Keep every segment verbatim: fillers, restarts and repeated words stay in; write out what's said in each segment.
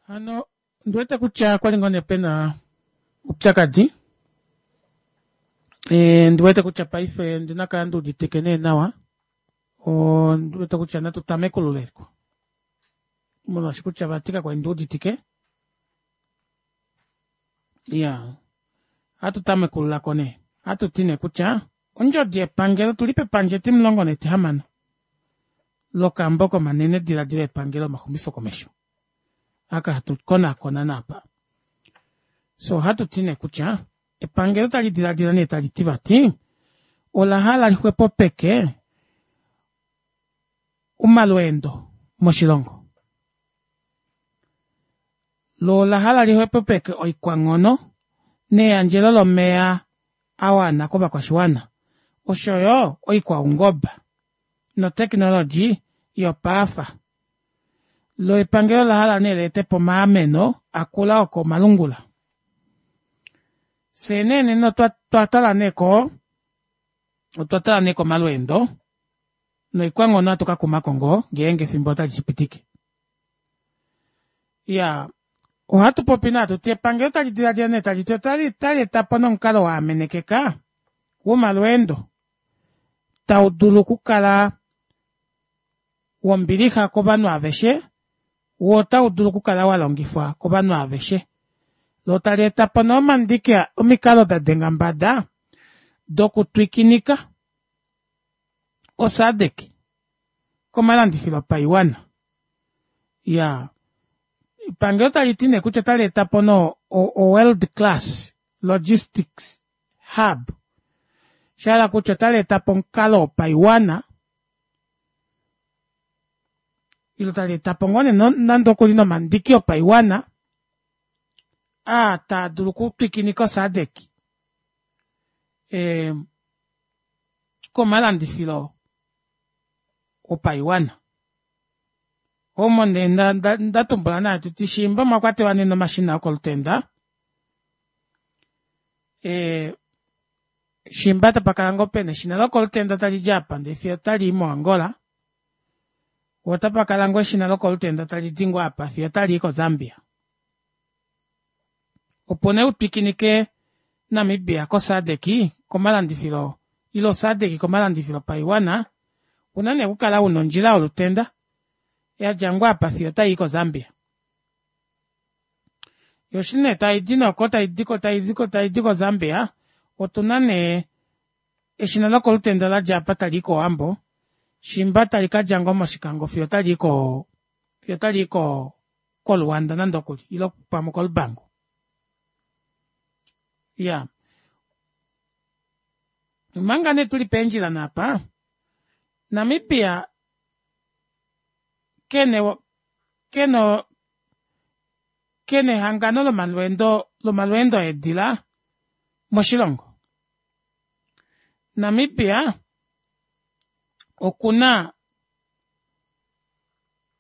Hano ondiwete kutya okwali ngoo nee pena oupyakadi ndiwete kutya paife ondina okukala nduuditike nee nawa ondiwete kutya natu tamekululeko molwaashi kutya vati kakwali nduuditike iyaa ohatu tamekululako nee ohatuti nee kutya ondjodi yepangelo otuli pepandja etimulongo netihamano lokambo komanene dilaadilo epangelo omaxumifo komesho aka hatu konaakona naapa fyee ohatuti nee kutya epangelo otali dilaadila nee taliti vati olahala lixwepopeke omalweendo moshilongo loo olahala lixwepopeke oikwanghono neyandjelo lomeva awana kovakwashiwana oshoyo oikwaungoba notechnology yopaafa loo epangelo olahala nee leetepo omaameno akula okomalungula fyee nee nena otwatala nee koo otwatala nee komalweendo noikwanghono ohatu kakumako ngoo ngeenge efimbo otali shipitike iyaa ohatupopi nee hatuti epangelo otali dilaadila nee taliti otaleetapo nomukalo waamenekeka womalweendo taudulu okukala wombilixa kovanhu aaveshe woo otaudulu okukala walongifwa kovanhu aaveshe loo taleetapo nee omandiki omikalo dadenga mbada doku twikinika o sadc komalandifilo opaiwana iyaa epangelo taliti nee kutya ota leetapo no world class logistics hub shahala kutya otaleetapo omukalo wopaiwana ile taleetapo ngoo nee nande okuli nomandiki opaiwana aa taadulu okutwikinika o sadc ee komalandifilo opaiwana omo nee ndatumbula nee hatuti shiimba omwakwatelwa nee nomashina okolutenda ee shiimba tapakala ngoo pena eshina lokolutenda talidi aapa ndee fiyo otalii mo angola poo otapakala ngoo eshina lokolutenda talidi ngoo aapa fiyo otalii ko zambia opo nee utwikinike namibia ko sadc komalandifilo ile o sadc komalandifilo opaiwana ouna nee okukala una ondjila yolutenda yadja ngoo apa fiyo otayii ko zambia yoo eshi nee taidi nee oko taidi ko zambia otuna nee eshina lokolutenda ladja aapa talii kowambo shiimba tali kadja ngoo moshikango fiyo otalii koo fiyo otalii ko koluanda nande okuli ile pamwe oko lubango iyaa omanga nee tuli peendjila neeapa namibia kena kena kena ehangano lomalweendo lomalweendo eedila moshilongo namibia okuna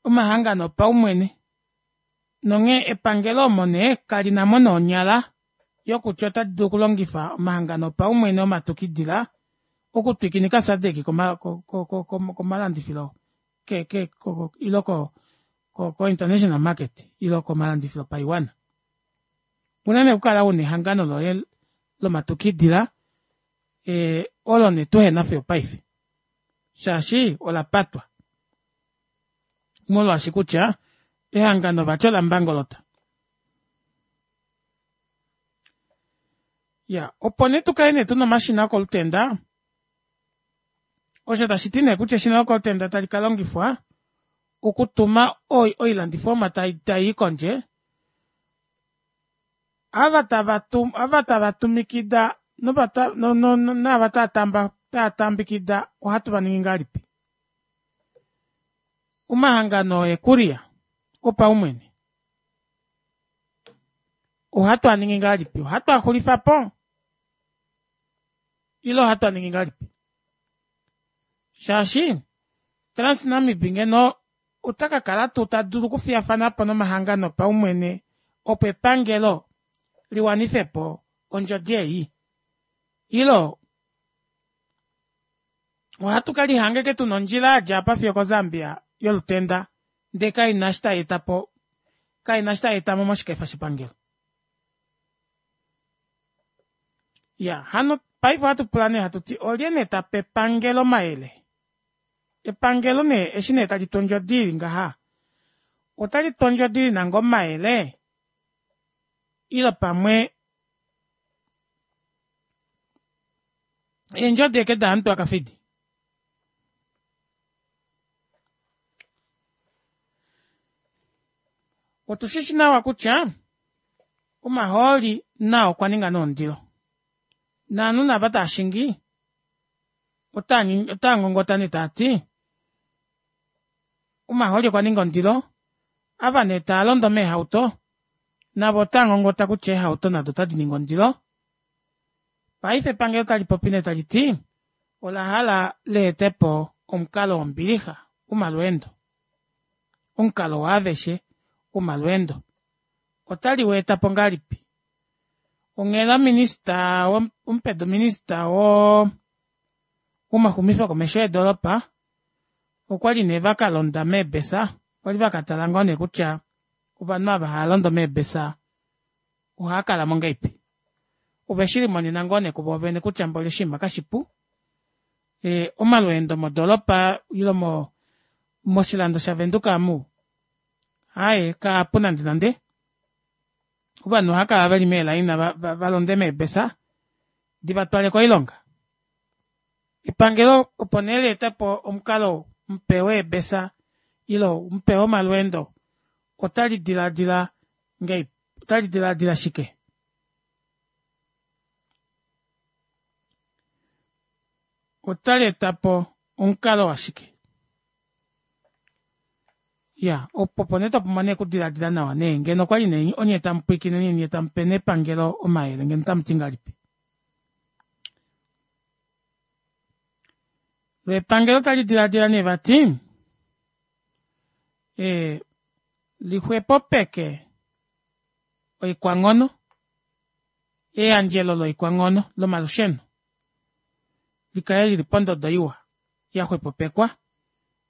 omahangano opaumwene nonghee epangelo omo nee kalinamo nee onyala yokutya otalidulu okulongifa omahangano opaumwene omatukidila okutwikinika sadc komalandifilo ke ile ko ko international market ile komalandifilo opaiwana ouna nee okukala una ehangano loye lomatukidila ee olo nee tuhena fiyo opaife shaashi olapatwa molwaashi kutya ehangano vati ola mbangolota iyaa opo nee tukale nee tuna omashina okolutenda osho tashiti nee kutya eshina lokolutenda tali kalongifwa okutuma oilandifomwa tayii kondje ava tava ava tava tumikida naava taatambikida ohatu vaningi ngahelipi omahangano eekuria opaumwene ohatu aningi ngahelipi ohatu axulifapo ile ohatu aningi ngahelipi shaashi transnamib ngeno otakakala tuu tadulu okufiyafanapo nomahangano opaumwene opo epangelo liwanifepo ondjodi ei ile ohatu kelihanga ashike tuna ondjila yadja aapa fiyo oko zambia yolutenda ndee kaina eshi tayeetapo Kaina eshi tai etamo moshikefa shepangelo. Iya hano paife ohatu pula nee hatuti olye nee tape epangelo omayele? Epangelo nee eshi nee talitu ondjodi ili ngaha otalitu ondjodi ina ngoo omayele ile pamwe eendjodi ashike dahamutwe wakafidi. Otushishi nawa kutya omahooli nao okwa ninga nee ondilo novanhu nee ava taashingi otaangongota nee taati omahooli okwa ninga ondilo ava nee taalondo meehauto navo otaangongota kutya eehauto nado ota diningi ondilo paife epangelo otalipopi nee taliti olahala leetepo omukalo wombilixa womalweendo omukalo waaveshe womalweendo ota liweetapo ngahelipi onghela minister omupedu minister woo womaxumifo komesho eedoropa okwali nee vakalonda meebesa kwali vakatala ngoo nee kutya ovanhu ava haalondo meebesa ohaakalamo ngahelipi oveshilimonena ngoo nee kuvoovene kutya mboli oshinima kashipu ee omalweendo modoropa ile moshilando sha venduka aamu aaye kaapu nande nande ovanhu ohaakala veli meelaina valonde meebesa divatwale koilonga epangelo opo nee leetepo omukalo mupe weebesa ile mupe womalweendo ota lidilaadila ngahelipi ota lidilaadila shike otaleetapo omukalo washike iyaa opo opo nee twapumbwa nee okudilaadila nawa nee ngeno okwali nee onye tamupwiikine nyee tamupe nee epangelo omayele ngeno otamuti ngahelipi loo epangelo talidilaadila nee vati ee lixwepopeke oikwanghono eyandjelo loikwanghono lomalusheno likale lili pondodo iwa yaxwepopekwa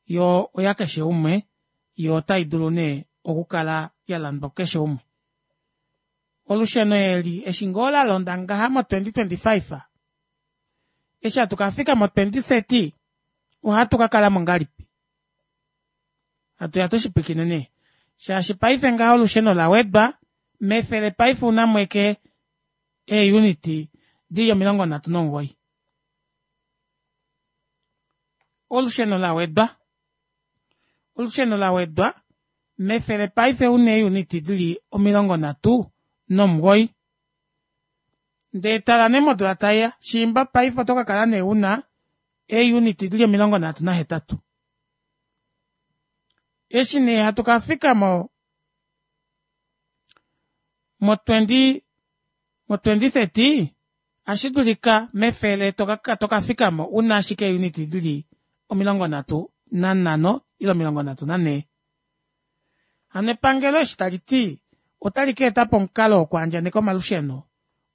yoo oyakeshe umwe yoo otaidulu nee okukala yalandwa kukeshe umwe olusheno eli eshi ngoo lalonda ngaha mo twenty twenty five eshi hatu kafika mo twenty thirty ohatu kakalamo ngahelipi hatuya tushipwiikine nee shaashi paife ngaha olusheno lawedwa mefele paife ounamo ashike ee unit dili omilongo nhatu nomugoyi olusheno lawedwa olusheno lawedwa mefele paife ouna ee unit dili omilongo nhatu nomugoyi ndee tala nee modula taiya shiimba paife otokakala nee una ee unit dili omilongo nhatu nahetatu eshi nee hatu kafika mo mo twenty mo twenty thirty ohashidulika mefele tokafikamo una ashike ee unit dili omilongo nhatu nanhano ile omilongo nhatu nanhee hano epangelo eshi taliti otali kaetapo omukalo wokwaandjaneka omalusheno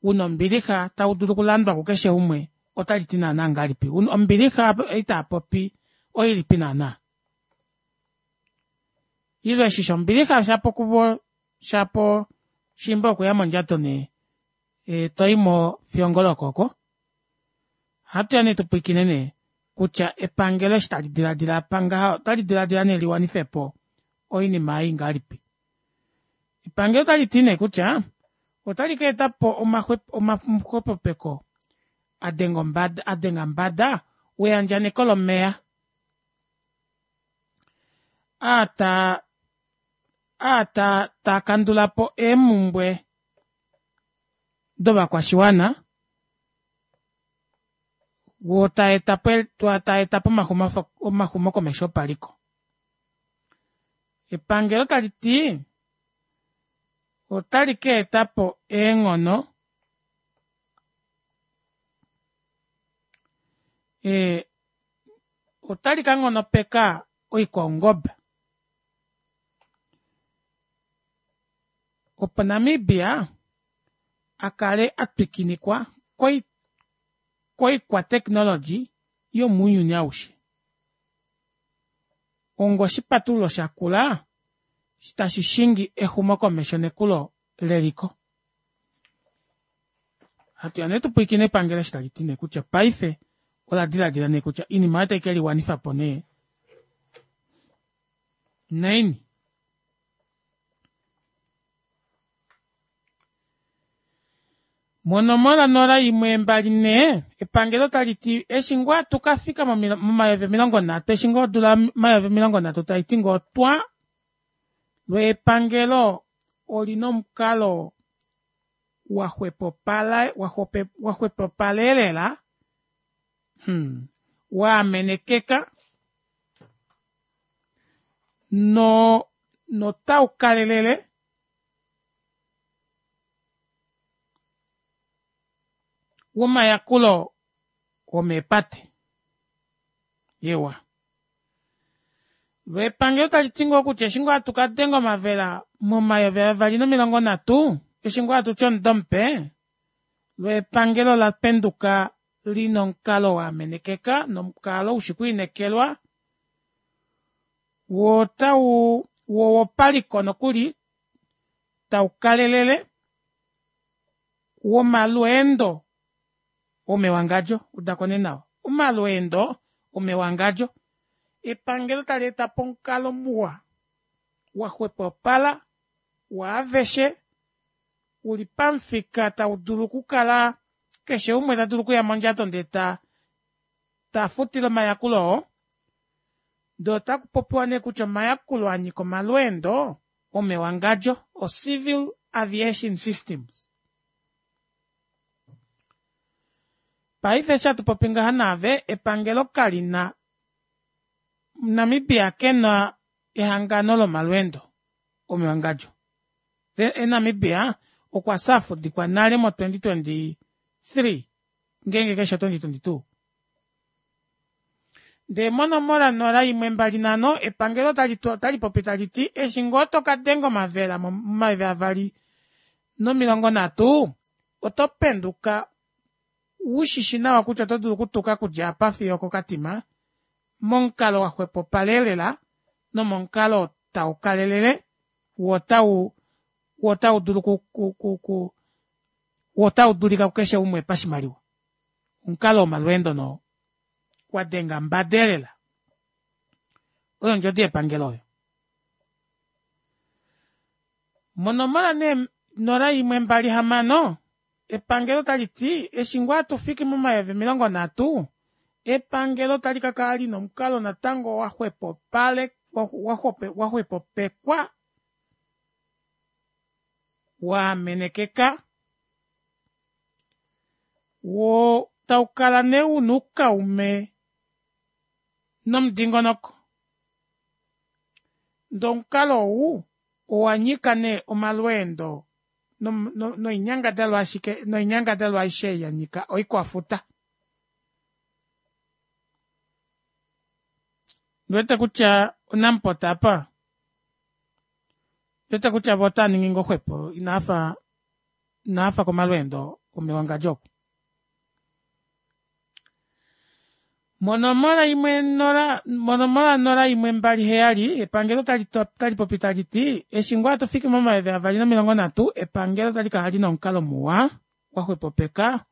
una ombilixa taudulu okulandwa kukeshe umwe otaliti naana ngahelipi ombilixa ei taapopi oilipi naana ile eshi shombilixa shapo kuvo shapo shiimba okuya mondjato nee toyimo fiyo ngoo lokooko ohatuya nee tupwiikine nee kutya epangelo eshi tali dilaadila aapa ngaha otali dilaadila nee liwanifepo oinima ei ngahelipi epangelo otaliti nee kutya otali kaetapo omaxwepopeko adenga mbada weyandjaneko lomeva aa aa taakandulapo eemumbwe dovakwashiwana woo taetapo omaxumokomesho opaliko epangelo taliti otali kaetapo eenghono ee otali kanghonopeka oikwaungoba opo Namibia akale atwikinikwa koikwa technology yomounyuni aushe onga oshipatululo shakula Tashi shingi exumokomesho nekulo leliko. Hatuya nee tupwiikine epangelo eshi taliti nee kutya paife ola dilaadila nee kutya oinima aayo otai keliwanifapo nee naini. Monomola nola imwe mbali nhee epangelo taliti eshi ngoo hatu kafika momayovi omilongo nhatu eshi ngoo odula omayovi omilongo nhatu taiti ngoo twaa loo epangelo olina omukalo waxwepopala waxwepopala elela mhh waamenekeka noo notaukalelele womayakulo omeepate eewa loo epangelo taliti ngoo kutya eshi ngoo hatu kadenga omavela momayovi avali nomilongo nhatu eshi ngoo hatuti omudo mupe loo epangelo olapenduka lina omukalo waamenekeka nomukalo ushi okwiinekelwa woo otawu woo owopaliko nokuli taukalelele womalweendo omewangadjo udako nee nawa omalweendo omewangadjo epangelo taleetapo omukalo muwa waxwepopala waaveshe uli pamufika taudulu okukala keshe umwe tadulu okuya mondjato ndee taa tafutile omayakulo oo ndee otakupopiwa nee kutya omayakulo anyika omalweendo omewangadjo o civil aviation systems. Paife eshi hatupopi ngaha naave epangelo kalina Namibia kena ehangano lomalweendo omewangadjo Namibia okwafya afudikwa nale mo twenty twenty three ngeenge kaifi o twenty twenty two ndee monomola nola imwe mbali nhano epangelo otalipopi taliti eshi ngoo tokadenga omavela momayovi avali nomilongo nhatu oto penduka ushishi nawa kutya oto dulu okutuka okudja aapa fiyo oko katima momukalo waxwepopala elela nomomukalo taukalelele woo otawu woo otaudulu oku ku woo otaudulika kukeshe umwe pashimaliwa omukalo womalweendo nee oo wadenga mbada elela oyo ondjodi yepangelo oyo. Monomola nee nola imwe mbali hamano epangelo otaliti eshi ngoo hatufiki momayovi omilongo nhatu epangelo ota likakala lina omukalo natango waxwepopekwa waamenekeka woo taukala nee una oukaume nomudingonoko ndee omukalo ou owanyika nee omalweendo noinyangadalwa ashike noinyangadalwa aishe ei yanyika oikwafuta. Ondiwete kutya o namport aapa ondiwete kutya voo otaaningi ngoo xwepo inaafa inaafa komalweendo omewangadjo oku. Monomola imwe nola monomola nola imwe mbali heyali epangelo otalipopi taliti eshi ngoo hatufiki momayovi avali nomilongo nhatu epangelo otalikala lina omukalo muwa waxwepopeka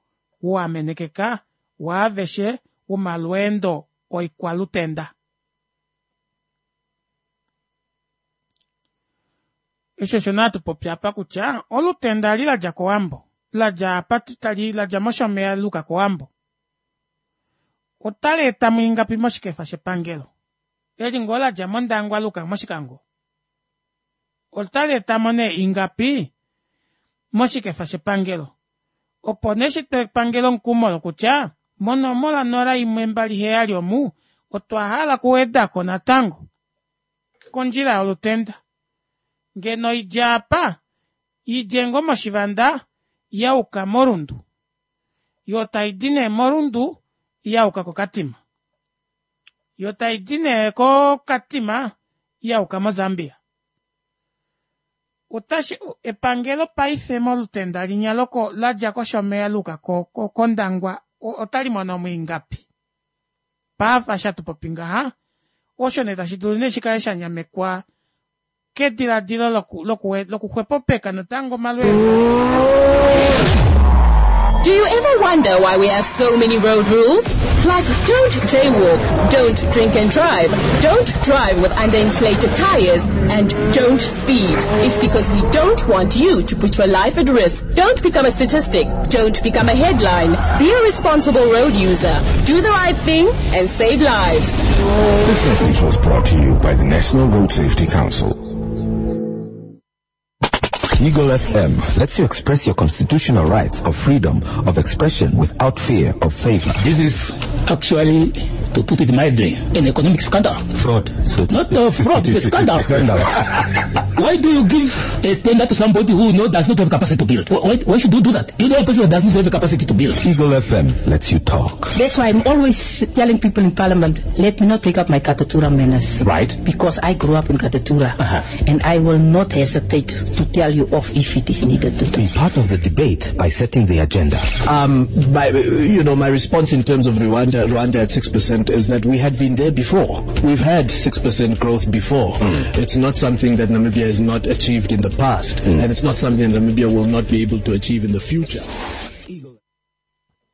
waamenekeka waaveshe womalweendo oikwalutenda. Eshi osho nee hatupopi aapa kutya olutenda eli ladja kowambo ladja apa ladja moshomeya laayuka kowambo ota leetamo ingapi moshikefa shepangelo eli ngoo ladja mondangwa layuka moshikango ota leetamo nee ingapi moshikefa shepangelo opo nee shitwe epangelo omukumo lokutya monomola nola imwe mbali heyali omu otwa hala okuwedako natango kondjila yolutenda ngeno idje aapa idje ngoo moshivanda yayuka mo rundu yoo taidi nee mo rundu yayuka ko katima yoo taidi nee koo katima yayuka mo zambia otashi epangelo paife molutenda linya ladja koshomeya layuka kondangwa otalimonomo ingapi paife eshi hatupopi ngaha osho nee tashi dulu nee shikale shanyamekwa kediladilo loku loku lokuxwepopeka natango omalweendo. Do you ever wonder why we have so many road rules? Like don't jaywalk, don't drink and drive, don't drive with underinflated tires, and don't speed. It's because we don't want you to put your life at risk. Don't become a statistic. Don't become a headline. Be a responsible road user. Do the right thing and save lives. This message was brought to you by the National Road Safety Council. Eagle F M lets you express your constitutional rights of freedom of expression without fear of favor. This is actually, to put it mildly, an economic scandal. Fraud. So Not a fraud, it's a scandal. Scandal. Why do you give a tender to somebody who no, does not have capacity to build? Why, why should you do that? You know a person that does not have the capacity to build. Eagle F M lets you talk. That's why I'm always telling people in Parliament, let me not take up my Katutura manners. Right. Because I grew up in Katutura. Uh-huh. And I will not hesitate to tell you off if it is needed to do. Be part of the debate by setting the agenda. Um, my, you know, my response in terms of Rwanda, Rwanda at six percent is that we had been there before. We've had six percent growth before. Mm. It's not something that Namibia has not achieved in the past, mm. and it's not something that Namibia will not be able to achieve in the future.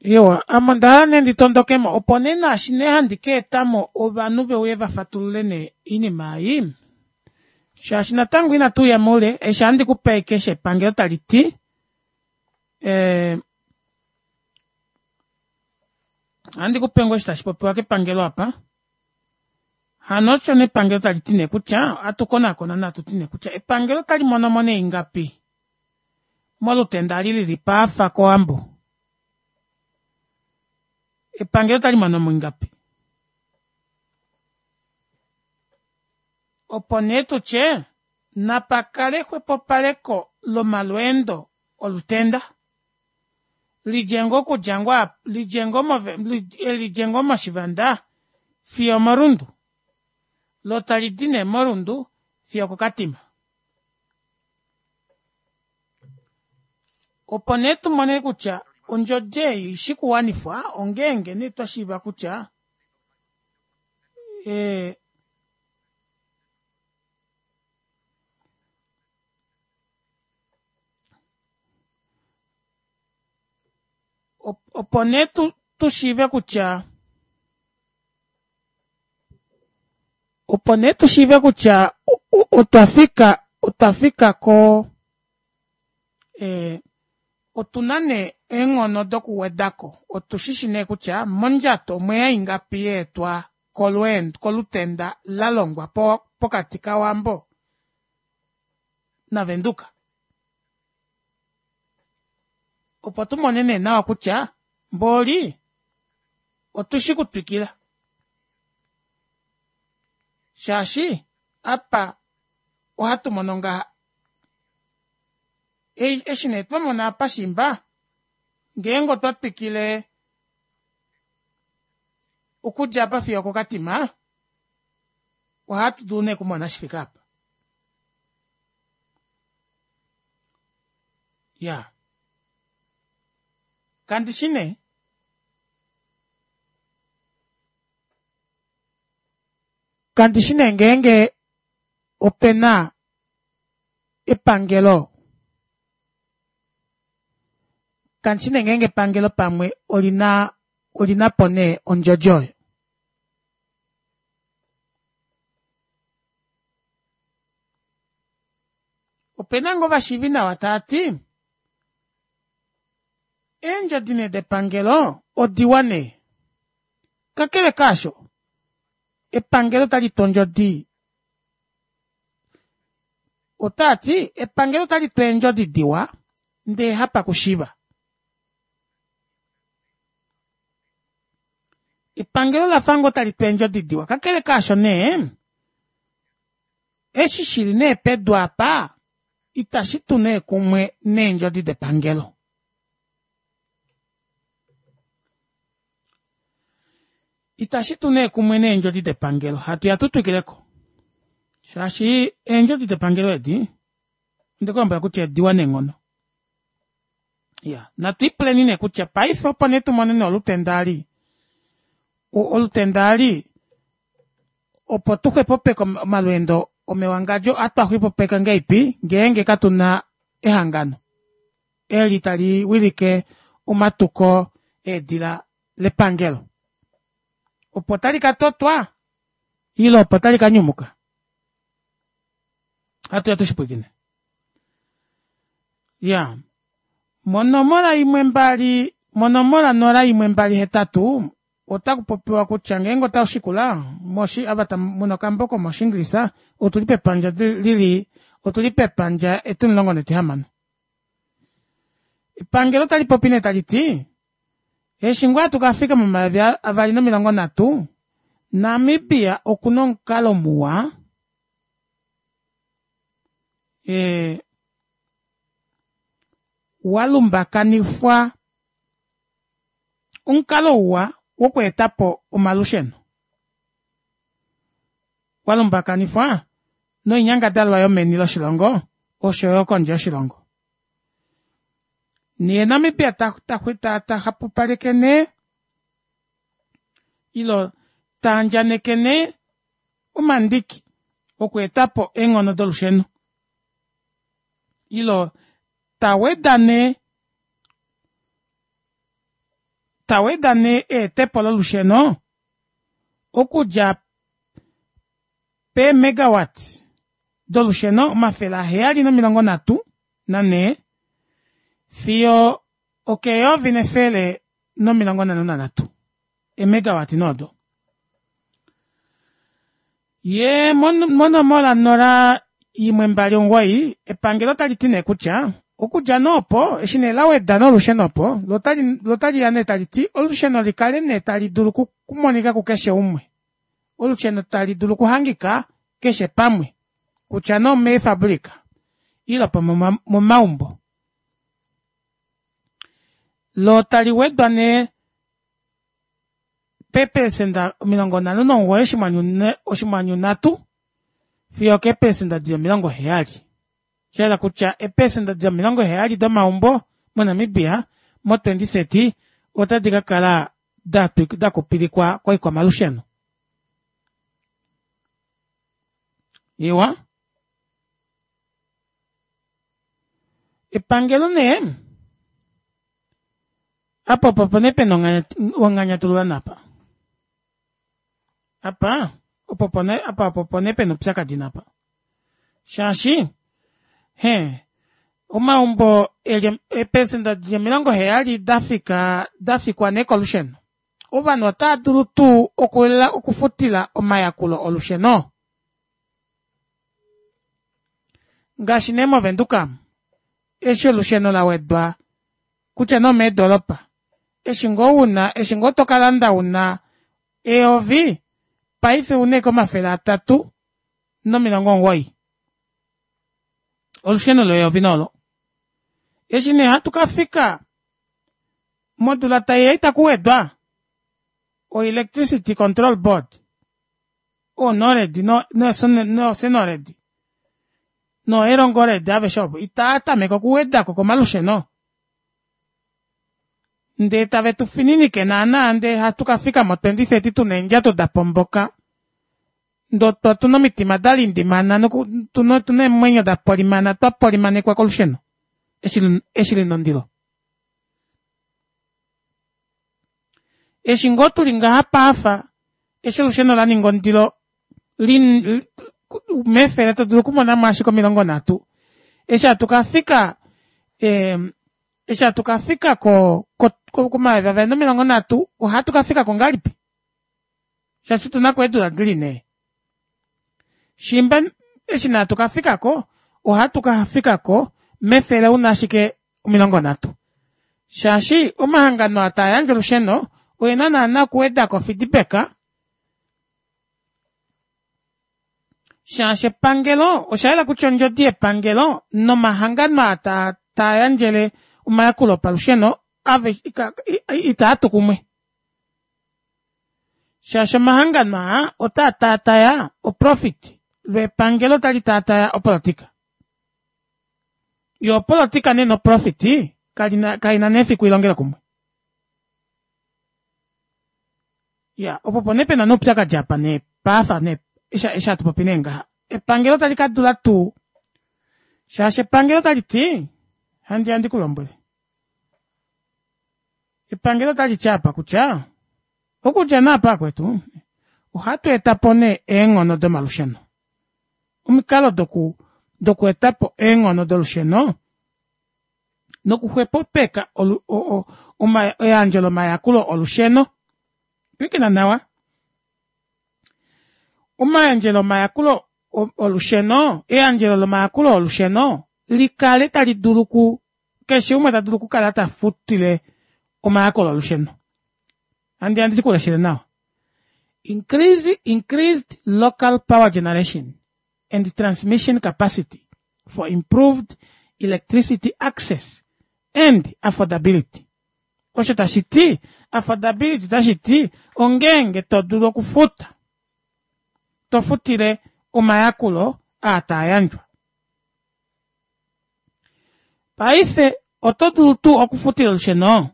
Yo, amandala nendi tondokemo opo nee naashi nee handi ka etamo ovanhu veuye va fatulule nee oinima ei. Shaashi natango inatu uya moule, eshi handi kupe keshe epangelo tali ti, eh, handi kupe ngoo eshi tashi popiwa kepangelo apa. Hano osho nee epangelo tali ti nee kutya, atu konakona natu ti nee kutya, epangelo tali mono mo nee ingapi molutenda ali lili paafa kOwambo. Epangelo tali mono mo ingapi? Opo nee tutye, napakale xwepopaleko lomalweendo olutenda. Lidje ngoo okudja ngoo apa, lidje ngoo move, lidje ngoo moshivanda fiyo morundu. Lo tali di nee morundu fiyo kokatima. Opo nee tumone kutya ondjodi ei ishi kuwanifwa ongeenge nee twa shiiva kutya, eh, opo nee tu, tu shiive kutya, opo nee tu shiive kutya otwa fika, otwa fika ko, eh, otuna nee eenghono dokuwedako. Otu shishi nee kutya mondjato omweya ingapi yeetwa kolweendo, kolutenda la longwa po, pokati kaWambo naVenduka. Opo tu mone nee nawa kutya mboli otu shi kutwikila. Shaashi apa ohatu mono ngaha. Ei, eshi nee twa mona apa shimba, ngeenge otwa twikile okudja apa fiyo kokatima, ohatu dulu nee okumona shi fika apa. Ya. Kandi shi nee. Kandi shi nee ngeenge opena epangelo. Kandi shi nee ngeenge epangelo pamwe olina, olina po nee ondjodi oyo. Opena ngoo vashiivi nawa taa ti, eendjodi nee depangelo odiwa nee. Kakele kaasho, epangelo tali tu ondjodi. Otaa ti, epangelo tali tu eendjodi diwa, ndee hapa kushiva. Epangelo la fa ngoo tali tu eendjodi diwa. Kakele kaasho nee, eshi shili nee pedu apa, itashi tu nee kumwe neendjodi depangelo. Itashi tu nee kumwe neendjodi depangelo. Hatu ya tu twikileko. Shaashi eendjodi depangelo edi, ndikulombwela kutya ediwa neenghono. Ya, natu ipuleni nee kutya paife opo nee tumone nee olutenda ali. O-, olutenda ali, opo tu xwepopeke omalweendo Omewangadjo ohatu xwepopeka ngahelipi ngeenge katuna ehangano eli tali wilike omatuko eedila lepangelo. Opo tali katotwa ile opo tali kanyumuka ohatuya tushipwiikine. Iyaa monomola imwe mbali monomola nola imwe mbali hetatu otakupopiwa kutya ngeenge otashikula moshi ava muna okambo komoshinglisa otuli pepandja lili otuli pepandja etimulongo netihamano. Epangelo talipopi nee taliti eshi ngoo hatu kafika momayovi avali nomilongo nhatu Namibia okuna omukalo muwa ee walumbakanifwa omukalo uwa wokweetapo omalusheno walumbakanifwa noinyangadalwa yomeni loshilongo oshoyo kondje yoshilongo. Yee Namibia tahapupaleke nee ile taandjaneke nee omandiki okweetapo eenghono dolusheno ile taweda nee taweda nee eetepo lolusheno okudja pee megawatts dolusheno omafele aheyali nomilongo nhatu nanhee fiyo okeyovi nefele nomilongo nhano nanhatu ee megawatt nee odo. Yee monomola nola imwe mbali omugoyi epangelo otaliti nee kutya okudja nee opo eshi nee laweda nee olusheno opo loo otaliya nee taliti olusheno likale nee tali dulu okumonika kukeshe umwe olusheno tali dulu okuhangika keshe pamwe kutya nee omeefabrica ile pamwe omomaumbo loo taliwedwa nee peeprecenter omilongo nhano nomugoyi oshinghwanyu nhatu fiyo okeepelecenter dili omilongo heyali shahala kutya eeprecenter dili omilongo heyali domaumbo mo Namibia mo twenty thirty otadi kakala dakupilikwa koikwamalusheno. Iwa epangelo nee apa opo nee pena onganyatululo naapa apa apa opo nee pena oupyakadi naapa shaashi hee omaumbo eli eeprecenter dili omilongo heyali dafika dafikwa nee kolusheno ovanhu otaadulu tuu okufutila omayakulo olusheno ngaashi nee mo Windhoek omu eshi olusheno lawedwa kutya nee omeedoropa eshi ngoo una eshi ngoo tokalanda una eyovi paife ouna ashike omafele atatu nomilongo omugoyi olusheno leyovi nee olo eshi nee hatu kafika modula taiya itakuwedwa o electricity control board oo nored no cenored no erongored aveshe ovo itaatameke okuwedako komalusheno ndee tave tufininike naana ndee hatu kafika mo twenty thirty tuna eendjato dapomboka ndee otuna omitima dalindimana otuna eemwenyo dapolimana twapolimanekwa kolusheno eshi lina ondilo. Eshi ngoo tuli ngaha paafa eshi olusheno laninga ondilo mefele todulu okumonamo ashike omilongo nhatu eshi hatu kafika eshi hatu kafika ko komayovi avali nomilongo nhatu ohatu kafikako ngahelipi shaashi otunako eedula dili nhee shiimba eshi nee hatu kafikako ohatu kafikako mefele una ashike omilongo nhatu shaashi omahangano aa taayandje olusheno oena naana okuwedako o feedback shaashi epangelo oshayela kutya ondjodi yepangelo nomahangano aa taayandjele omayakulo opalusheno itaatu kumwe shaashi omahangano aa otaa tataya oprofit loo epangelo otali tataya opolitika yoo opolitika nee noprofit kaina nee fiku ilongele kumwe. Iyaa opo opo nee pena oupyakadi apa nee paafa nee eshi hatupopi nee ngaha. Epangelo tali ka dula tuu shaashi epangelo tali ti handi handi kulombwele epangelo tali ti apa kutya okudja naapa kwetu ohatu etapo nee eenghono domalusheno omikalo doku dokweetapo eenghono dolusheno nokuxwepopeka eyandjo lomayakulo olusheno pwilikina nawa omayandjelo omayakulo olusheno eyandjelo lomayakulo olusheno likale tali dulu ku keshe umwe tadulu okukala tafutile omayakulo olusheno handi handi kuleshele nawa increase increased local power generation and transmission capacity for improved electricity access and affordability. Osho tashi ti affordability tashi ti ongeenge to dulu okufuta to futile omayakulo aa taa yandjwa. Paife oto dulu tuu okufutila olusheno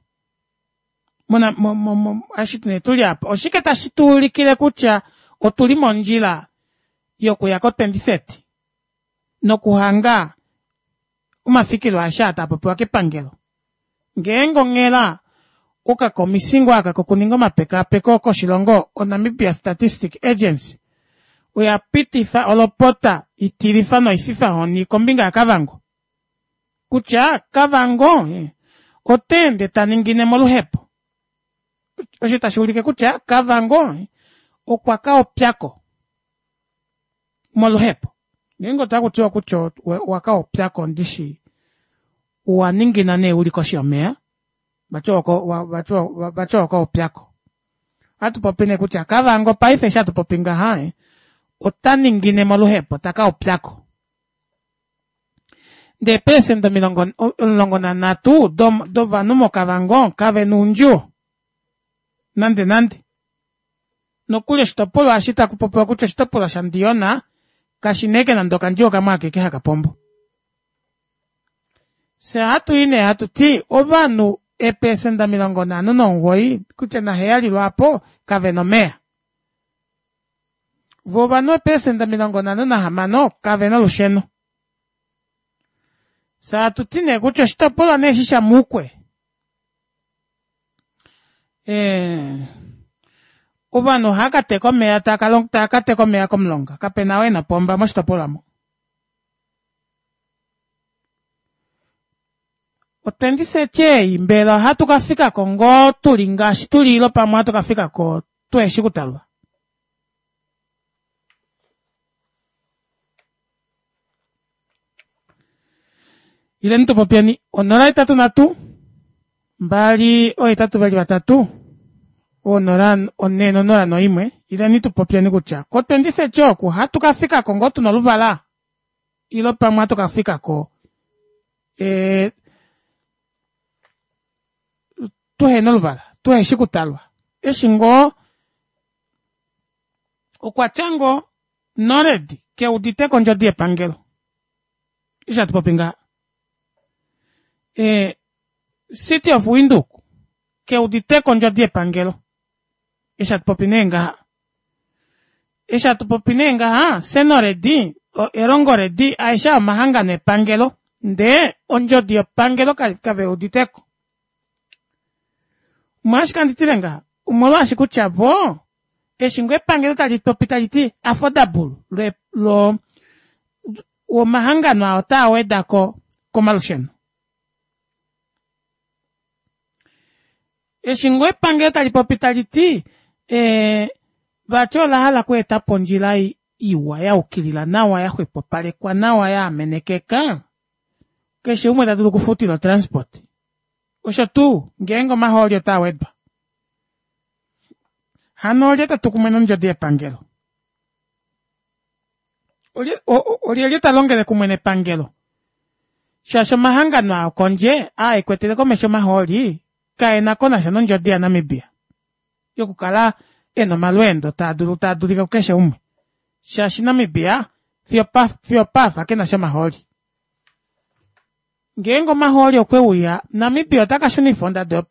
mona mo, mo, mo, eshi nee tuli apa oshike tashi tuulikile kutya otuli mondjila yokuya ko twenty thirty nokuhanga omafikilo aeshe aa taa popiwa kepangelo. Ngeenge onghela okakomisi ngoo aka kokuninga omapekaapeko koshilongo oNamibia Statistic Agency oya pitifa olopota itilifa noififa honi kombinga yaKavango kutya Kavango ota ende taningine moluhepo osho tashi ulike kutya Kavango okwa ka opyako moluhepo ngeenge otakutiwa kutya owaka opyako ndishi owaningina nee uli koshi yomeva vati owaka opyako ohatupopi nee kutya Kavango paife eshi hatupopi ngaha ota ningine moluhepo taka opyako ndee eeprecent omilongo omulongo nanhatu dovanhu moKavango kavena oundjuwo nande nande nokuli oshitopolwa eshi takupopiwa kutya oshitopolwa shaNdiyona kashina ashike nande okandjuwo kamwe akeke haka pombo. Fyee ohatuyi nee hatuti ovanhu eeprecent omilongo nhano nomugoyi kutya naheyali lwaapo kavena omeva voo ovanhu eeprecent omilongo nhano nahamano kavena olusheno. Fyee hatuti nee kutya oshitopolwa nee eshi shaMukwe ee ovanhu ohaakateka omeva taakateka omeva komulonga kapena ou ena opomba moshitopolwa aamo. O twenty thirty ei mbela ohatu kafikako ngoo tuli ngaashi tuli ile pamwe ohatu kafikako tuheshi okutalwa? Ileni tupopyeni onola hetatu nhatu mbali oohetatu veli vatatu onola onhe nonola noimwe ileni tupopyeni kutya ko twenty thirty oku ohatu kafikako ngoo tuna oluvala ile pamwe ohatu kafikako ee tuhena oluvala tuheshi okutalwa eshi ngoo okwatya ngoo Nored keuditeko ondjodi yepangelo eshi hatupopi ngaha ee City of Windhoek keuditeko ondjodi yepangelo eshi hatupopi nee ngaha eshi hatupopi nee ngaha Cenored Erongo Red aeshe aa omahangano epangelo ndee ondjodi yepangelo kaveuditeko. Omolwashike handi tile ngaha omolwaashi kutya voo eshi ngoo epangelo tali popi taliti affordable lo omahangano aa otaa wedako komalusheno. Eshi ngoo epangelo tali popi taliti ee vati olahala okweetapo ondjila iwa yaukilila nawa yaxwepopalekwa nawa yaamenekeka keshe umwe tadulu okufutila otransport osho tuu ngeenge omahooli otaa wedwa hano olye tatu kumwe nondjodi yepangelo olyelye talongele kumwe nepangelo shaashi omahangano aa okondje aa ekwetele komesho omahooli kaena konasha nondjodi yaNamibia yokukala ena omalweendo taadulu taadulika kukeshe umwe shaashi Namibia fiyo opaafa kenasha omahooli. Ngeenge omahooli okwe uya Namibia ota kashunifa ondado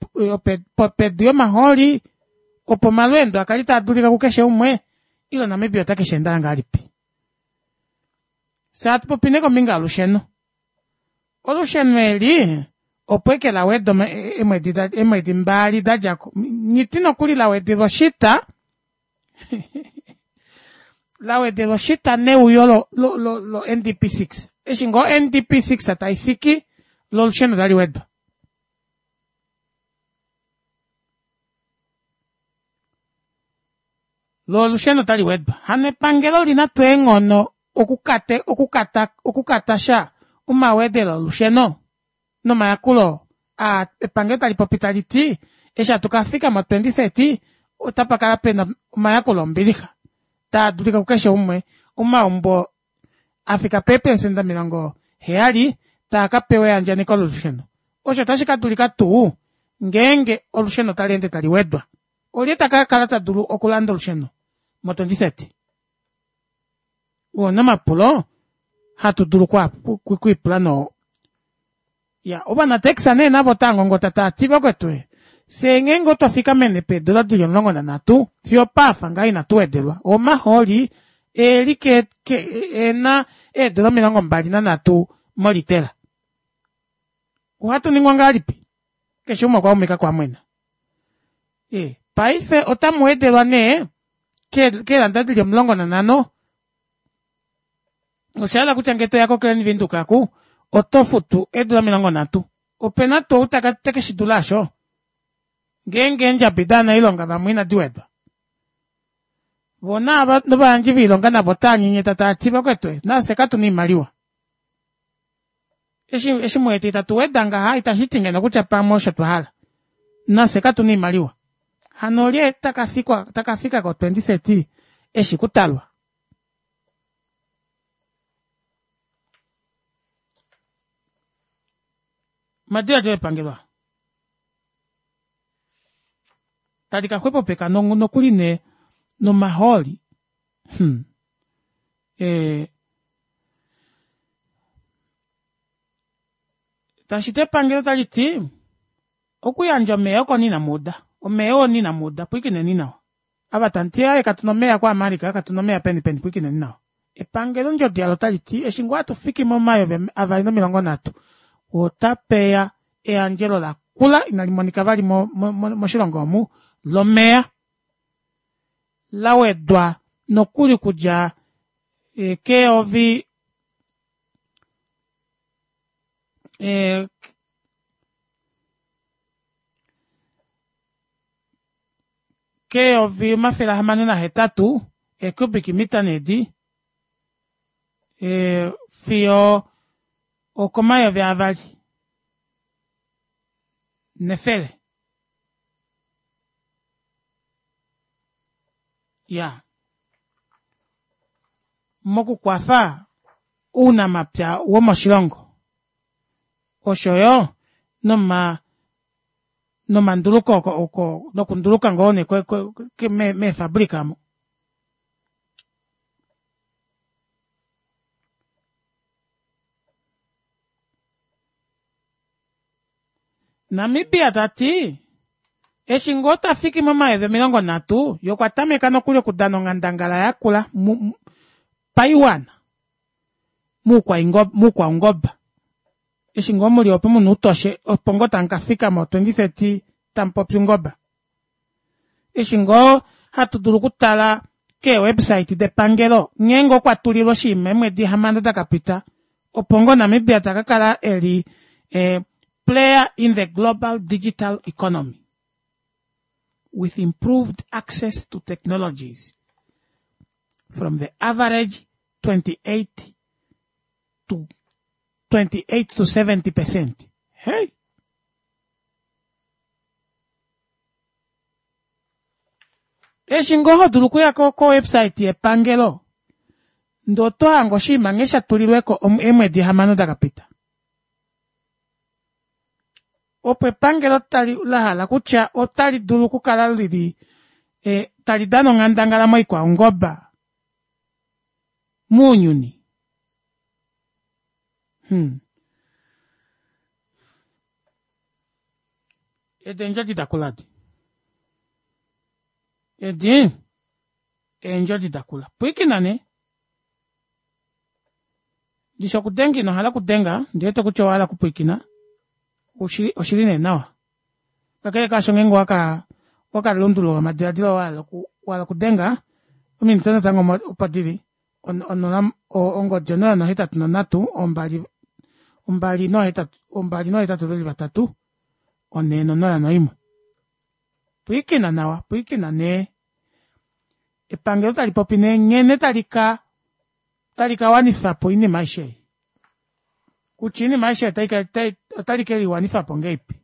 pedu yomahooli opo omalweendo akale taadulika kukeshe umwe ile Namibia otakesheendela ngahelipi. Fyee hatu popi nee kombinga yolusheno. Olusheno eli opo ashike lawedwa eemwedi eemwedi mbali dadjako nghiti nokuli lawedelwa oshita lawedelwa oshita neuyo lo lo lo N D P six eshi ngoo N D P six taifiki loo olusheno tali wedwa. Loo olusheno otali wedwa hano epangelo olina tuu eenghono okukate okukata okukatasha omawedelo olusheno nomayakulo aa epangelo talipopi taliti eshi hatu kafika mo twenty thirty otapakala pena omayakulo ombilixa taadulika kukeshe umwe omaumbo afika pee percent omilongo heyali taakapewa eyandjaneko lolusheno osho otashi kadulika tuu ngeenge olusheno otaleende tali wedwa olye takakala tadulu okulanda olusheno mo twenty thirty oo nee omapulo hatu dulu okwiipula noo iya ovanataxi nee navo otaangongota taati vakwetu ee fyee ngeenge otwa fikamene peedora dili omulongo nanhatu fiyo opaafa ngaha ina tuwedelwa omahooli eeli ke ke ena eedora omilongo mbali nanhatu molitela ohatuningwa ngahelipi keshe umwe okwaumika oko amwena ee paife otamuwedelwa nee keeranda dili omulongo nanhano oshahala kutya ngee toya ko klein windhoek oku otofutu eedora omilongo nhatu opena tuu ou tekeshidula aasho ngeenge eendjabi dovanailonga vamwe ina diwedwa voo naava novayandji voilonga navo otaanyenyeta taati vakwetu nafye katuna oimaliwa eshi eshi muwete itatu weda ngaha itashiti ngeno kutya pamwe osho twahala nafye katuna oimaliwa hano olye takafikwa takafika ko twenty thirty eshi kutalwa omadilaadilo epangelo aa tali kaxwepopeka nokuli nee nomahooli hmm ee tashiti epangelo otaliti okuyandja omeva oko nee inamuuda omeva oo nee inamuuda pwilikineni nawa ava tamuti aaye katuna omeva ku america katuna omeva peni peni pwilikineni nawa epangelo ondjodi yalo otaliti eshi ngoo hatufiki momayovi avali nomilongo nhatu otapeya eyandjelo lakula inalimonika vali mo moshilongo omu lomeva lawedwa nokuli okudja keyovi ee keyovi omafele ahamano nahetatu ee cubic meter nee edi ee fiyo okomayovi avali nefele iyaa mokukwafa ounamapya womoshilongo oshoyo noma nomanduluko nokunduluka ngoo nee meefabrica omo. Namibia tati eshi ngoo tafiki momayovi omilongo nhatu yee okwa tameka nokuli okudana onghandangala yakula paiwana moukwaungoba eshi ngoo muli opo muna outoshe opo ngoo tamukafika mo twenty thirty tamupopi oungoba eshi ngoo hatu dulu okutala kee website depangelo nghee ngoo kwatulilwa oshinima eemwedi hamano dakapita opo ngoo Namibia takakala eli player in the global digital economy with improved access to technologies from the average twenty eight to twenty eight to seventy percent hey eshi ngoo hodulu okuya ko website yepangelo ndee oto hange oshinima nghee shatulilweko eemwedi hamano dakapita opo epangelo tali lahala kutya otali dulu okukala lili e, tali dana onghandangala moikwaungoba mounyuni hmm. Edi eendjodi dakula edi edi eendjodi dakula pwiikina nee Ndishi okudenga ino hala okudenga, ndiwete kutya owa hala okupwiikina. Oshili, oshili nee nawa. Kakele kaasho ngeenge owaka owaka lundulula omadiladilo wa hala oku wa hala okudenga, ominute natango opo dili onola ongodi onola nohetatu nonhatu ombali ombali nohetatu ombali nohetatu veli vatatu onhee nonola noimwe. Pwiikina nawa, pwiikina nee. Epangelo tali popi nee nghene tali ka tali ka wanifa po oinima aishe ei. Kutya oinima aishe otali ke liwanifa po ngeipi.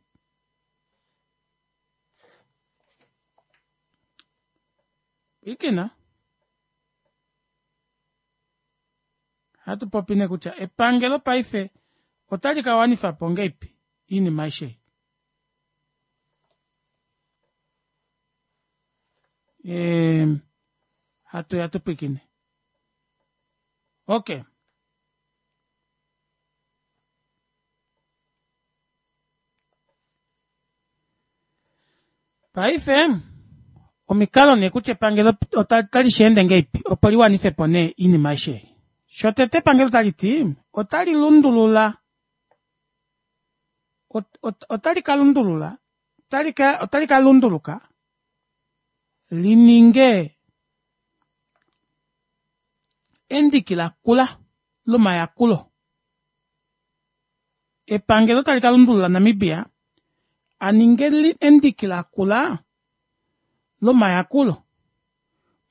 Pwiikina. Ohatu popi nee kutya epangelo paife otali ka wanifa po ngeipi oinima aishe ei. Ehm, hatu ya tu pwiikine. Okay. Paife omikalo nee kutya epangelo otali shi ende ngeipi opo li wanife po nee oinima aishe ei. Shotete epangelo tali ti otali lundulula otali ka lundulula otali ka otali ka lunduluka li ninge endiki lakula lomayakulo. Epangelo tali ka lundulula Namibia a ninge endiki lakula lomayakulo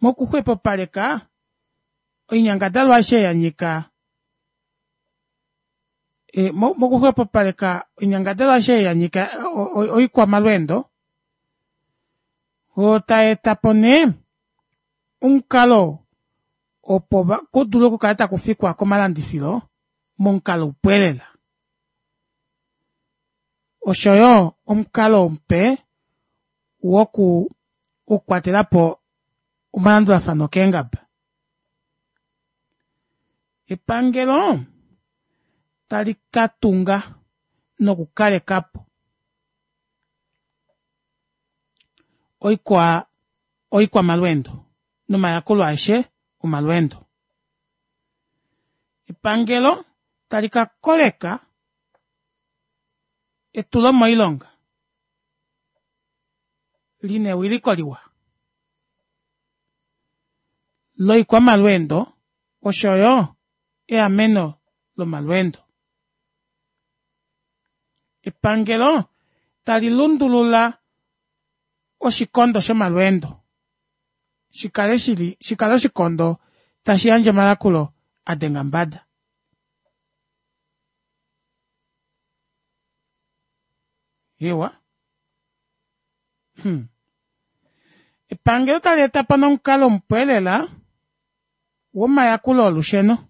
mokuxwepopaleka oinyangadalwa aishe ya nyika e, mokuxwepopaleka oinyangadalwa aishe ya nyika oikwamalweendo oo taeta po nee omukalo opo kudule okukala taku fikwa komalandifilo momukalo upwelela oshoyo omukalo mupe woku wokukwatelapo omalandulafano keengaba. Epangelo tali ka tunga nokukalekapo oikwa oikwamalweendo nomayakulo aeshe omalweendo. Epangelo tali ka koleka etulo moilonga lina ewiliko liwa loikwamalweendo oshoyo eameno lomalweendo. Epangelo tali lundulula oshikondo shomalweendo shikale shili shikale oshikondo tashi yandje omayakulo a denga mbada. Ewa. Hmm. Epangelo tali eta po nomukalo mupe lela womayakulo olusheno.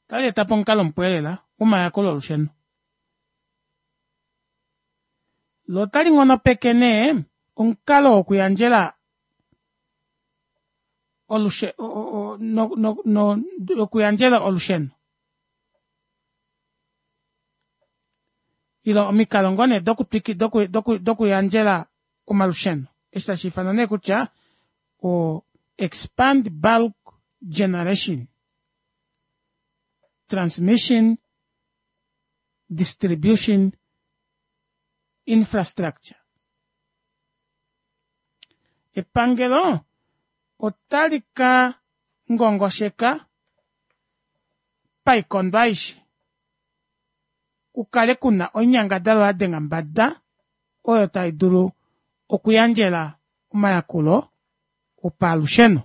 Otali eta po omukalo mupe lela womayakulo olusheno. Lo otali nghonopeke nee omukalo wokuyandjela olushe no, no, no, okuyandjela olusheno. Ilo omikalo ngoo nee dokutwiki doku doku dokuyandjela omalusheno. Eshi tashi ifanwa nee kutya o expand bulk generation transmission distribution infrastructure. Epangelo otali ka ngongosheka paikondo aishe kukale kuna oinyangadalwa ya denga mbada oyo tai dulu okuyandjela omayakulo opalusheno.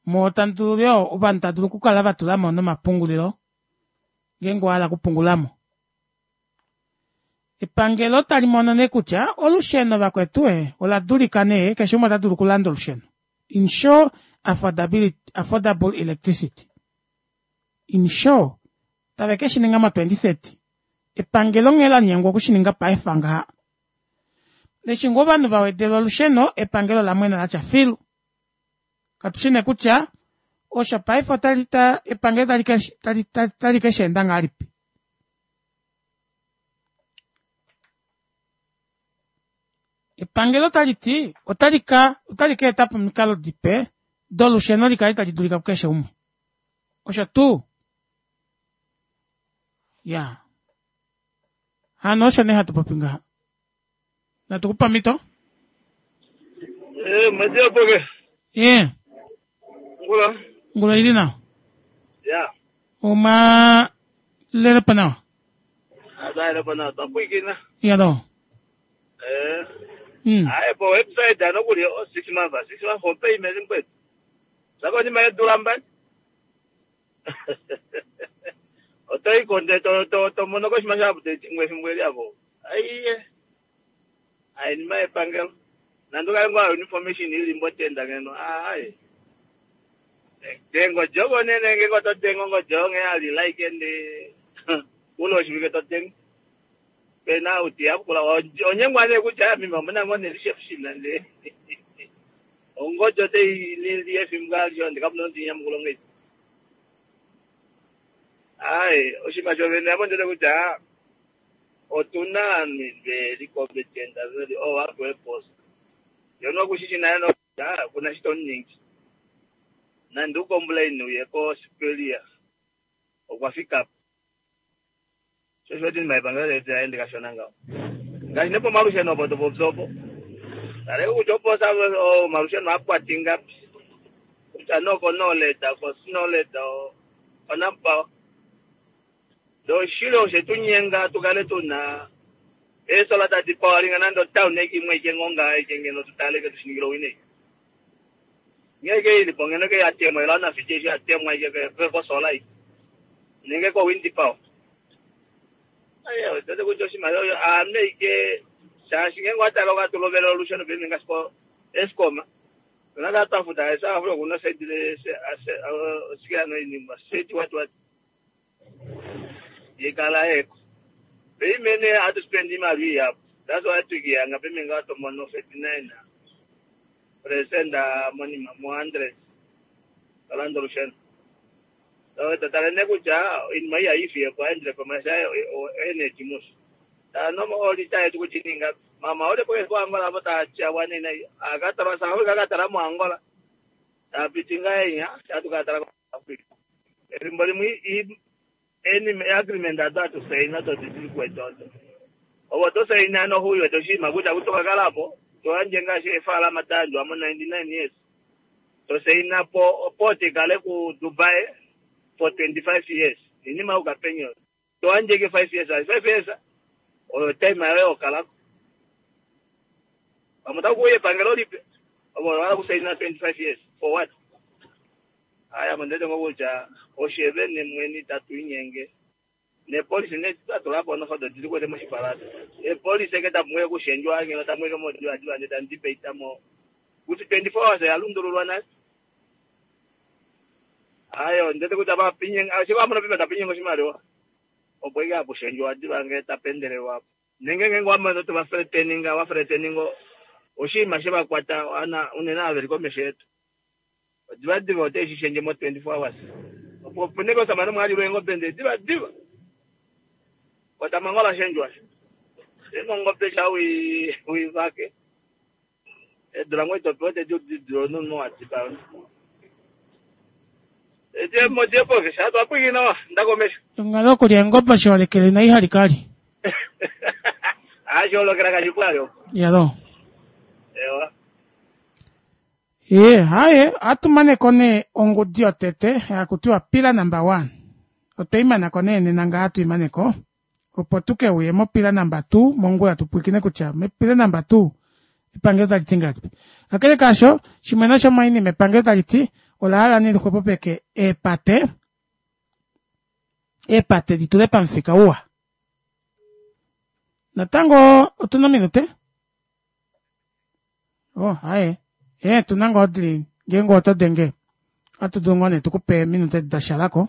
Mo tamu dulu yo ovanhu tava dulu okukala vatulamo nomapungulilo ngeenge owahala okupungulamo. Epangelo tali mono nee kutya olusheno vakwetu e ola dulika nee keshe umwe ota dulu okulanda olusheno. Ensure affordability, affordable electricity. Ensure tave ke shininga mo twenty thirty. Epangelo nghee la nyengwa okushininga paife ngaha. Eshi ngoo ovanhu va wedelwa olusheno epangelo lamwena latya filu. Katushi nee kutya osho paife otali ta epangelo tali ke tali tali ke sheenda ngahelipi. Epangelo tali ti otali ka otali ka eta po omikalo dipe dolusheno likale tali dulika kukeshe umwe. Osho tuu ya hano osho nee hatu popi ngaha. Natu kupa omhito. Eh, Madia Boge. Ye, Ngula. ngula ili nawa. Ya. Oma lele pa nawa. Adaile pana tapuikina. Yalo. Eh. Mm. Aye po website ano kuli o six months, six months for payment ngwe. Sako ni mai dulamba. Otoi konde to to to mono ko shima shabu te ngwe ngwe yabo. Ai. Ai ni mai pangel. Nando ka ngwa information ili mbotenda ngeno. Ai. Dengo jogo nene nge ko to dengo ngo jonge ali like ende. Ulo shimike to dengo. Pena uti apukula onyengwa ne kutya mimi mbona ngone chef shina nde. Ongojo te li F M gali onde kamuno ndi nyamukulo ngezi. Ai, oshima jovene apo ndele kutya otuna very competent very oh akwe post. Yono kushishi nayo no kuna shito nyingi. Na ndu complain uye ko superior. Okwafika shosho ni maipangelo yetu yaende kashona ngao. Ngashi nepo malusheno opo topopsopo. Tare kuchoposa o malusheno apwatinga. Kutya noko noleta ko sinoleta o onampa. Do shilo shetunyenga tukale tuna esola tati pawalinga nando town ekimwe ikengonga ekengeno tutaleke tushinigilo wine. Ngeke ili pongeno ke yatemwa ilana fijeshi yatemwa ike ko sola iki. Nenge ko wind power. Ayo, tete kutya oshimaliwa ame ike shaashi ngenge watala okatulovela olusheno pemi ngaashi Eskom tona katafuta esa afro kuna saidile sikano iningwa seti watu watu yekala eko peimene atu spend imali yapo. That's why tukiyanga pemi ngatomono thirty-nine percent money mo hundred talando olusheno. Tatale kutya inima iyayifiye po aendele pamasha energy musi. Tanomo olita yetu kuchininga mama ole po ko Angola po ta wanena akatara sa Afrika akatara mu Angola. Tapitinga enya atukatara ku Afrika. Erimbo limwe any agreement that to say not to kwetoto. Obo to say na no huyo to shima kuta kutoka kalapo to anje ngashi efala matandu amo ninety-nine years. To say na po poti kale ku Dubai for twenty-five years. Inima ukapenyo. To anje ke five years, five years. O time ayo kalako. Pamuta kuye pangelo lipe. Obo wala kusaina twenty-five years for what? Aya mandete ngokuja oshebe ne mweni tatu inyenge. Ne police ne tatulapo no fodo dili kwete moshipalata. E police ke tamwe kushenjwa ngeno tamwe ke modwa dwa ne tandipe itamo. Kuti twenty-four hours yalundululwa nasi. Ayo ndete kuti abapinye ashiko amuna pima tapinye ngoshimaliwa. Opo ike akushenjwa diba nge tapendelewa. Nenge nge ngwama ndoto ba threateninga wa threateningo oshima sheba kwata ana unena averi komesho yetu. Diba diba ote shishenje mo twenty-four hours. Opo puneko samano mwali lwengo bende diba diba. Kwata mangola shenjwa. Sengo ngope shawi wi vake. Edra ngwe topote ju ju no no atiba. Ete mo depo ke shato apwikina ndakomesha. Ngalo kulya engopa shiwalekele na ihalikali. Ah, sholokela kachipwalyo. Yalo. Ewa. Ye, haye, atumaneko ne ongudi yotete yakutiwa pila number one. Otwe imanako ne nena nga hatu imaneko. Opo tuke uye mo pila number two, mongula tupwikine kutya me pila number two epangelo tali ti ngahelipi. Kakele kaasho, shimwe noshomoinima epangelo tali ti ola hala ne lixwepopeke eepate, eepate ditule pamufika uwa. Natango otuna ominute? Oh, haye. Eh, tuna ngoo dili ngeenge oto denge. Ohatu dulu ngoo nee tukupe ominute dashalako.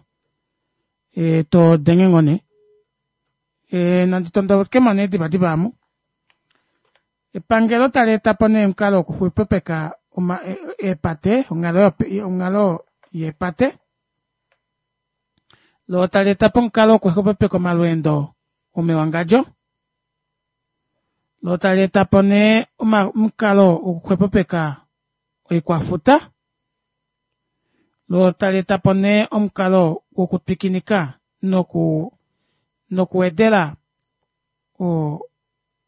Eh, to denge ngoo nee. Eh, nandi tondokemo nee divadiva amu. Epangelo tali eta po nee omukalo wokuxwepopeka oma eepate, onghalo onghalo yeepate. Lo tali eta po omukalo wokuxwepopeka omalweendo omewangadjo. Lo tali eta po nee omukalo wokuxwepopeka oikwafuta, lo tali eta po nee omukalo wokutwikinika noku nokuwedela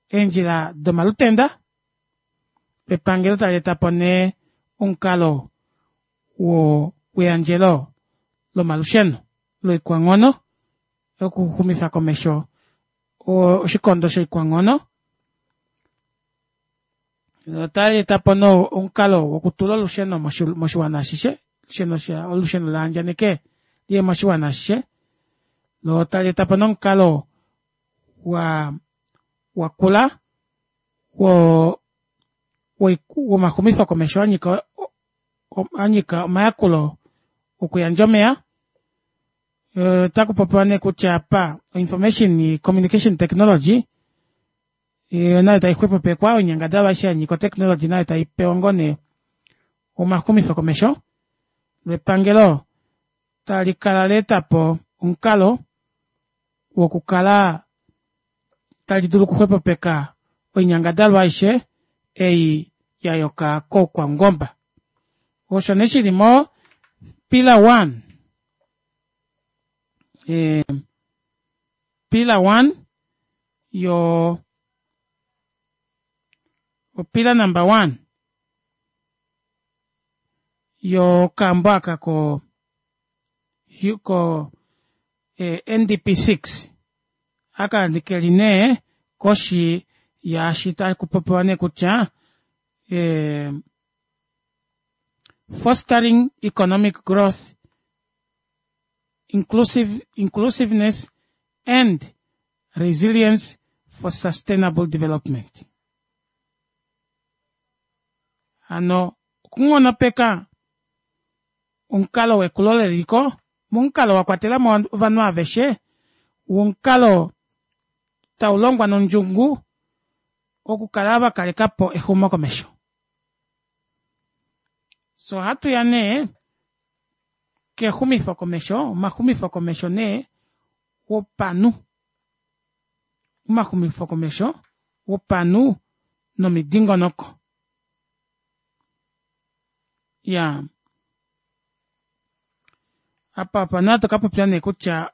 eendjila domalutenda, epangelo tali eta po nee omukalo weyandjelo lomalusheno loikwanghono okuxumifa komesho oshikondo shoikwanghono. Otali eta po nee omukalo wokutula olusheno moshiwana ashishe, olusheno laandjaneke liye moshiwana ashishe, loo tali eta po nomukalo wa wakula wo womaxumifo komesho anyika anyika omayakulo okuyandja omeya. Otakupopiwa nee kutya apa information communication technology nayo taixwepopekwa, oinyangadalwa aishe yanyika otechnology nayo taipewa ngoo nee omaxumifo komesho, lepangelo talikala laetapo omukalo wokukala tali dulu okuxwepopeka oinyangadalwa aishe ei yayuka koukwaungomba. Osho nee shili mo pillar one, pillar one yo pillar number one yokambo aka ko ko N D P six aka keli nee koshi yaashi takupopiwa nee kutya fostering economic growth, inclusive, inclusiveness and resilience for sustainable development. Ano okunghonopeka omukalo wekulo leliko, momukalo wa kwatela mo ovanhu aveshe, womukalo taulongwa nondjungu okukala vakalekapo exumo komesho. So hatu ya nee kexumifo komesho, omaxumifo komesho nee wopanhu, omaxumifo komesho wopanhu nomidingonoko. Ya apa apa naa tokapopya nee kutya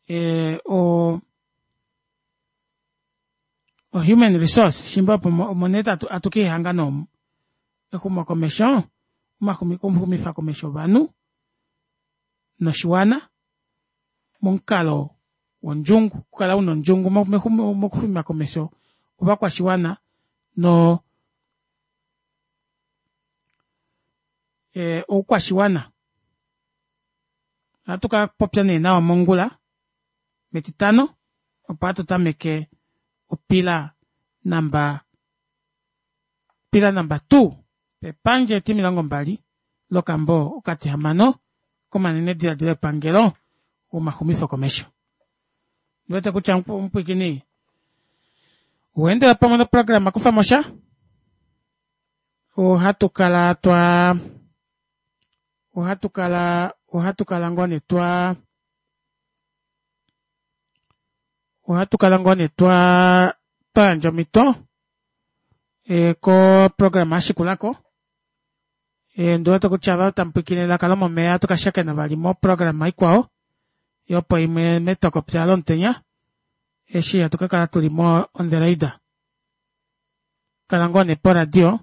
ee o o human resource shimba opo omo nee atukeihanga nomu exumo komesho, omaxumifa komesho ovanhu noshiwana momukalo wondjungu, okukala una ondjungu mokuxuma komesho ovakwashiwana no oukwashiwana. Ohatu kapopya nee nawa mongula metitano opo hatu tameke opila number pillar number two pepandja etimilongo mbali lokambo okatihamano komanene diladilo epangelo womaxumifo komesho. Ndiwete kutya omupwikini oweendela pamwe noprograma kufamosha, ohatu kala twa ohatu kala ohatu kala ngoo nee twa ohatu kala ngoo nee twa twayandja omhito ko programa yashikulako. Ndiwete kutya ava tamupwikine elaka lomomeya ohatu kashakena vali mo programa ikwao yopo imwe metokopya lomutenya eshi hatu kakala tuli mo on the radar. Kala ngoo nee poradio